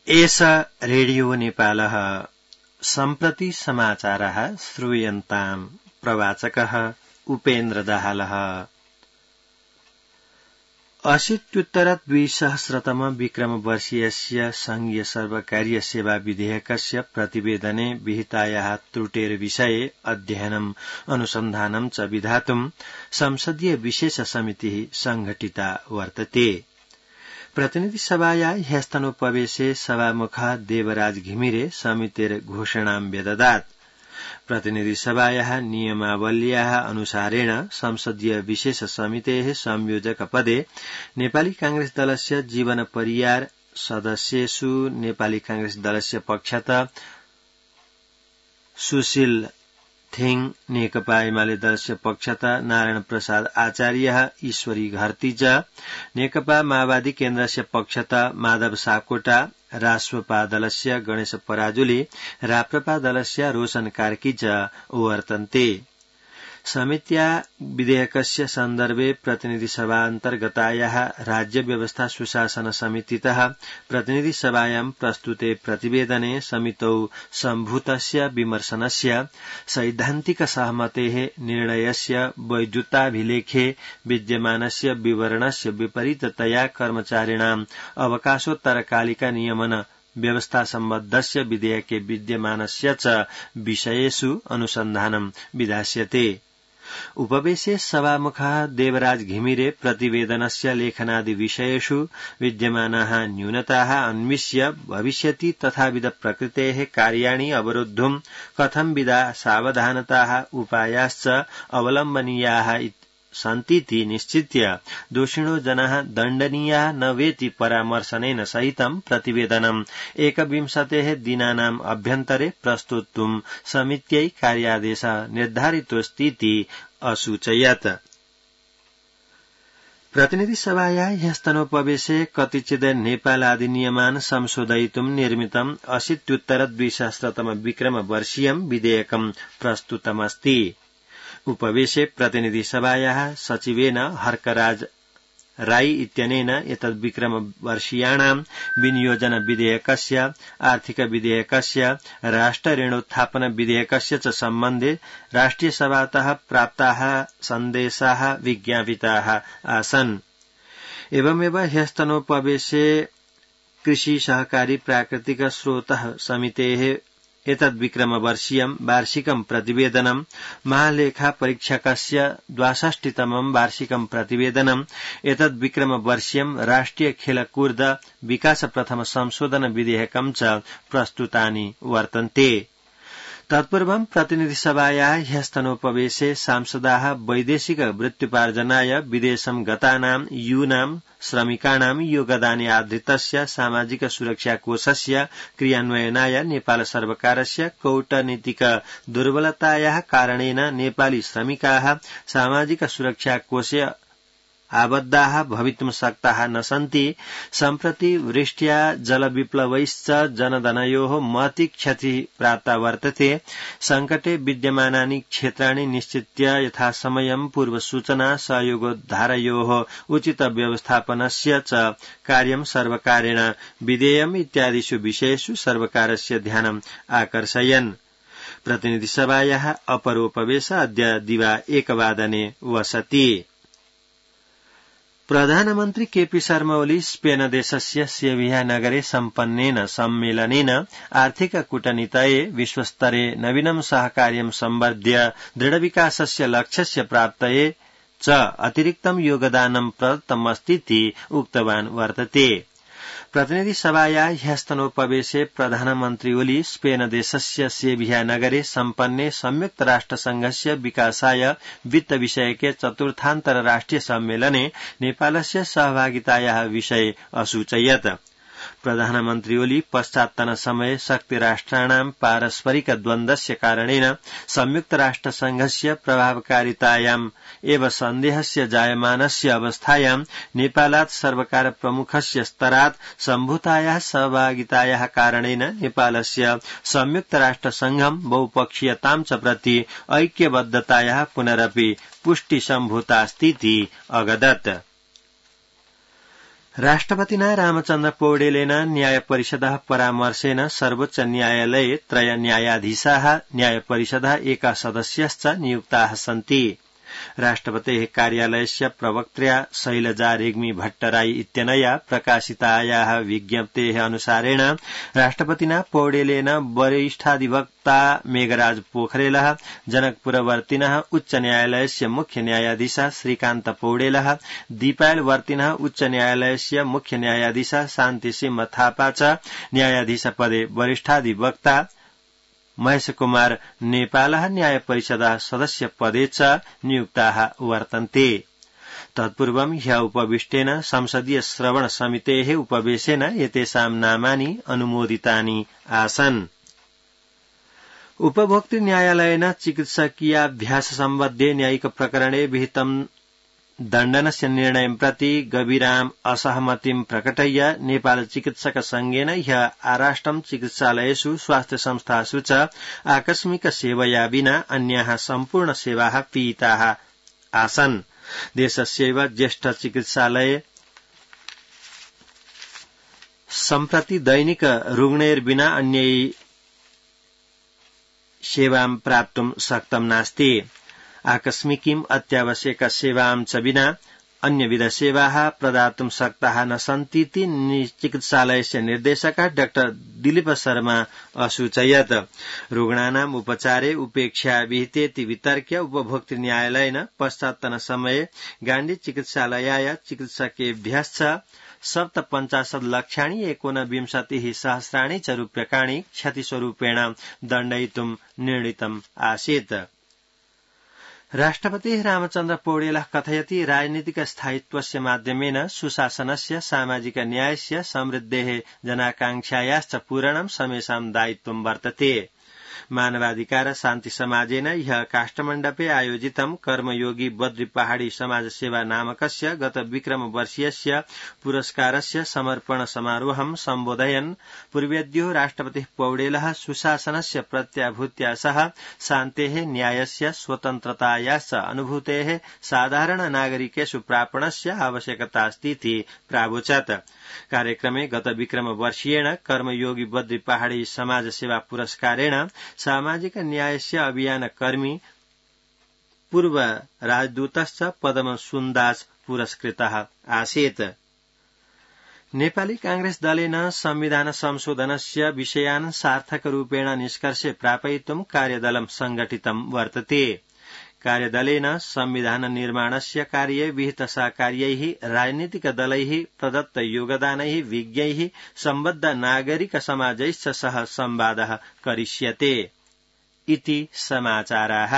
एष रेडियो नेपालः सम्प्रति समाचारः श्रूयन्ताम् प्रवाचकः उपेन्द्र दाहालः। 80-2000 विक्रमवर्षीयस्य संघीय सर्वकारीय सेवा विधेयकस्य प्रतिवेदने विहितायाः त्रुटेर्विषये अध्ययनम् अनुसन्धानं च विधातुं संसदीय विशेष समितिः संघटिता वर्तते। प्रतिनिधिसभाया ह्यस्तनोपवेशे सभामुखः देवराज घिमिरे समितेर घोषणां व्यददात्। प्रतिनिधिसभायाः नियमावल्याः अनुसारेण संसदीय विशेष समितेः संयोजक पदे नेपाली कांग्रेस दलस्य जीवन परियार सदस्येषु नेपाली कांग्रेस दलस्य पक्षतः सुशील थिङ, नेकपा एमाले दलस्य पक्षतः नारायण प्रसाद आचार्यः, ईश्वरी घरती च, नेकपा माओवादी केन्द्रस्य पक्षतः माधव सापकोटा, राष्ट्रपा दलस्य गणेश पराजुली, राप्रपा दलस्य रोशन कार्की च वर्तन्ते। समित्या विधेयकस्य सन्दर्भे प्रतिनिधिसभान्तर्गतायाः राज्य व्यवस्था सुशासन समितितः प्रतिनिधिसभायां प्रस्तुते प्रतिवेदने समितौ सम्भूतस्य विमर्शनस्य सैद्धान्तिक सहमतेः निर्णयस्य वैधताभिलेखे विद्यमानस्य विवरणस्य विपरीततया कर्मचारिणाम् अवकाशोत्तरकालिका नियमन व्यवस्था सम्बद्धस्य विधेयके विद्यमानस्य च विषयेषु अनुसन्धानं विधास्यते। उपवेशे सभामुखः देवराज घिमिरे प्रतिवेदनस्य लेखनादि विषयेषु विद्यमानाः न्यूनताः अन्विष्य भविष्यति तथाविध प्रकृतेः कार्याणि अवरोद्धुं कथंविधा सावधानताः उपायाश्च अवलम्बनीयाः सन्तीति निश्चित्य दोषिणो जनाः दण्डनीयाः न वेति परामर्शनेन सहितं प्रतिवेदनम् 21 दिनानाम् अभ्यन्तरे प्रस्तोतुं समित्यै कार्यादेशः निर्धारितोऽस्तीति असूचयत्। प्रतिनिधिसभाया ह्यस्तनोपवेशे कतिचित् नेपालाधिनियमान् संशोधयितुं निर्मितम् 80-2000 विक्रमवर्षीयं विधेयकं प्रस्तुतमस्ति। उपवेशे प्रतिनिधिसभायाः सचिवेन हर्कराज राई इत्यनेन एतद् विक्रमवर्षीयाणां विनियोजन विधेयकस्य, आर्थिक विधेयकस्य, राष्ट्रऋणोत्थापन विधेयकस्य च सम्बन्धे राष्ट्रियसभातः प्राप्ताः सन्देशाः विज्ञापिताः आसन्। एवमेव ह्यस्तनोपवेशे कृषि सहकारी प्राकृतिक स्रोतः समितेः एतद् विक्रमवर्षीयं वार्षिकं प्रतिवेदनं, महालेखा परीक्षकस्य 62तमं वार्षिकं प्रतिवेदनं, एतद् विक्रमवर्षीयं राष्ट्रिय खेलकूद विकास प्रथम संशोधन विधेयकं च प्रस्तुतानि वर्तन्ते। तत्पूर्वं प्रतिनिधिसभायाः ह्यस्तनोपवेशे सांसदाः वैदेशिक वृत्त्युपार्जनाय विदेशं गतानां यूनां श्रमिकाणां योगदाने आधृतस्य सामाजिक सुरक्षा कोषस्य क्रियान्वयनाय नेपाल सर्वकारस्य कूटनीतिक दुर्बलतायाः कारणेन नेपाली श्रमिकाः सामाजिक सुरक्षा कोषे आबद्धाः भवितुं शक्ताः न सन्ति। सम्प्रति वृष्ट्या जलविप्लवैश्च जनधनयोः महती क्षतिः प्राप्ता वर्तते। संकटे विद्यमानानि क्षेत्राणि निश्चित्य यथासमयं पूर्वसूचना सहयोगोद्धारयोः उचित व्यवस्थापनस्य च कार्यं सर्वकारेण विधेयम् इत्यादिषु विषयेषु सर्वकारस्य ध्यानम् आकर्षयन्। प्रतिनिधिसभायाः अपरोपवेश अद्य दिवा 1 वादने वसति। प्रधानमन्त्री केपी शर्मा ओली स्पेन देशस्य सेविया नगरे सम्पन्नेन सम्मेलनेन आर्थिक कूटनीतये विश्वस्तरे नवीनं सहकार्यं सम्वर्ध्य दृढविकासस्य लक्ष्यस्य प्राप्तये च अतिरिक्तं योगदानं प्रदत्तमस्तीति उक्तवान् वर्तते। प्रतिनिधिसभाया ह्यस्तनोपवेशे प्रधानमन्त्री ओली स्पेन देशस्य सेविया नगरे सम्पन्ने संयुक्त राष्ट्रसंघस्य विकासाय वित्त विषयके चतुर्थान्तरराष्ट्रिय सम्मेलने नेपालस्य सहभागितायाः विषये असूचयत्। प्रधानमन्त्री ओली पश्चात्तन समये शक्तिराष्ट्राणां पारस्परिक द्वन्द्वस्य कारणेन संयुक्त राष्ट्रसंघस्य प्रभावकारितायाम् एव सन्देहस्य जायमानस्य अवस्थायां नेपालात् सर्वकार प्रमुखस्य स्तरात् सम्भूतायाः सहभागितायाः कारणेन नेपालस्य संयुक्त राष्ट्रसंघं बहुपक्षीयतां च प्रति ऐक्यबद्धतायाः पुनरपि पुष्टि सम्भूतास्तीति अगदत्। राष्ट्रपतिना रामचन्द्र पौडेलेन न्याय परिषदः परामर्शेन सर्वोच्च न्यायालये 3 न्यायाधीशाः न्याय परिषदः 1 सदस्यश्च नियुक्ताः सन्ति। राष्ट्रपतेः कार्यालयस्य प्रवक्त्र्या शैलजा रेग्मी भट्टराई इत्यनया प्रकाशितायाः विज्ञप्तेः अनुसारेण राष्ट्रपतिना पौडेलेन वरिष्ठाधिवक्ता मेघराज पोखरेलः, जनकपुरवर्तिनः उच्च न्यायालयस्य मुख्य न्यायाधीशः श्रीकान्त पौडेलः, दीपायलवर्तिनः उच्च न्यायालयस्य मुख्य न्यायाधीशः शान्तिसिंह थापा च न्यायाधीशपदे वरिष्ठाधिवक्ता महेश कुमार नेपालः न्याय परिषदः सदस्य पदे च नियुक्ताः वर्तन्ते। तत्पूर्वं ह्यः उपविष्टेन संसदीय श्रवण समितेः उपवेशेन एतेषां नामानि अनुमोदितानि आसन्। उपभोक्तृ न्यायालयेन चिकित्सकीयाभ्यास सम्बद्धे न्यायिक प्रकरणे विहितं दण्डनस्य निर्णयं प्रति गभीराम् असहमतिं प्रकटय्य नेपाल चिकित्सक संघेन ह्यः आराष्ट्रं चिकित्सालयेषु स्वास्थ्य संस्थासु च आकस्मिक सेवया विना अन्याः सम्पूर्ण सेवाः पिहिताः आसन्। देशस्यैव ज्येष्ठ चिकित्सालये सम्प्रति दैनिक रुग्णैर्विना अन्यै सेवां प्राप्तुं शक्तं नास्ति। आकस्मिकीम् अत्यावश्यक सेवां च विना अन्यविध सेवाः प्रदातुं शक्ताः न सन्तीति चिकित्सालयस्य निर्देशकः डाक्टर दिलीप शर्मा असूचयत्। रुग्णानाम् उपचारे उपेक्षा विहितेति वितर्क्य उपभोक्तृ न्यायालयेन पश्चात्तनसमये गान्धी चिकित्सालयाय चिकित्सकेभ्यश्च 57 लक्षाणि 19 सहस्राणि च रूप्यकाणि क्षतिस्वरूपेण दण्डयितुं निर्णीतम् आसीत्। राष्ट्रपतिः रामचन्द्र पौडेलः कथयति राजनीतिक स्थायित्वस्य माध्यमेन सुशासनस्य सामाजिक न्यायस्य समृद्धेः जनाकांक्षायाश्च पूरणं समेषां दायित्वं वर्तते। मानवाधिकार शान्ति समाजेन ह्यः काष्ठमण्डपे आयोजितं कर्मयोगी बद्री पहाड़ी समाज सेवा नामकस्य गत विक्रम वर्षीयस्य पुरस्कारस्य समर्पण समारोहं सम्बोधयन् पूर्वेद्यो राष्ट्रपतिः पौडेलः सुशासनस्य प्रत्याभूत्या सह शान्तेः न्यायस्य स्वतन्त्रतायाश्च अनुभूतेः साधारण नागरिकेषु प्रापणस्य आवश्यकतास्तीति प्रावोचत्। कार्यक्रमे गत विक्रम वर्षीयेण कर्मयोगी बद्री पहाड़ी समाज सेवा पुरस्कारेण सामाजिक न्यायस्य अभियान कर्मी पूर्व राजदूतश्च पदम सुन्दास पुरस्कृतः आसीत्। नेपाली कांग्रेस दलेन संविधान संशोधनस्य विषयान् सार्थकरूपेण निष्कर्षे प्रापयितुं कार्यदलं संघटितं वर्तते। कार्यदलेन संविधान निर्माणस्य कार्ये विहित सहकार्यैः राजनीतिक दलैः प्रदत्त योगदानैः विज्ञैः सम्बद्ध नागरिक समाजैश्च सह संवादः करिष्यते इति समाचाराः।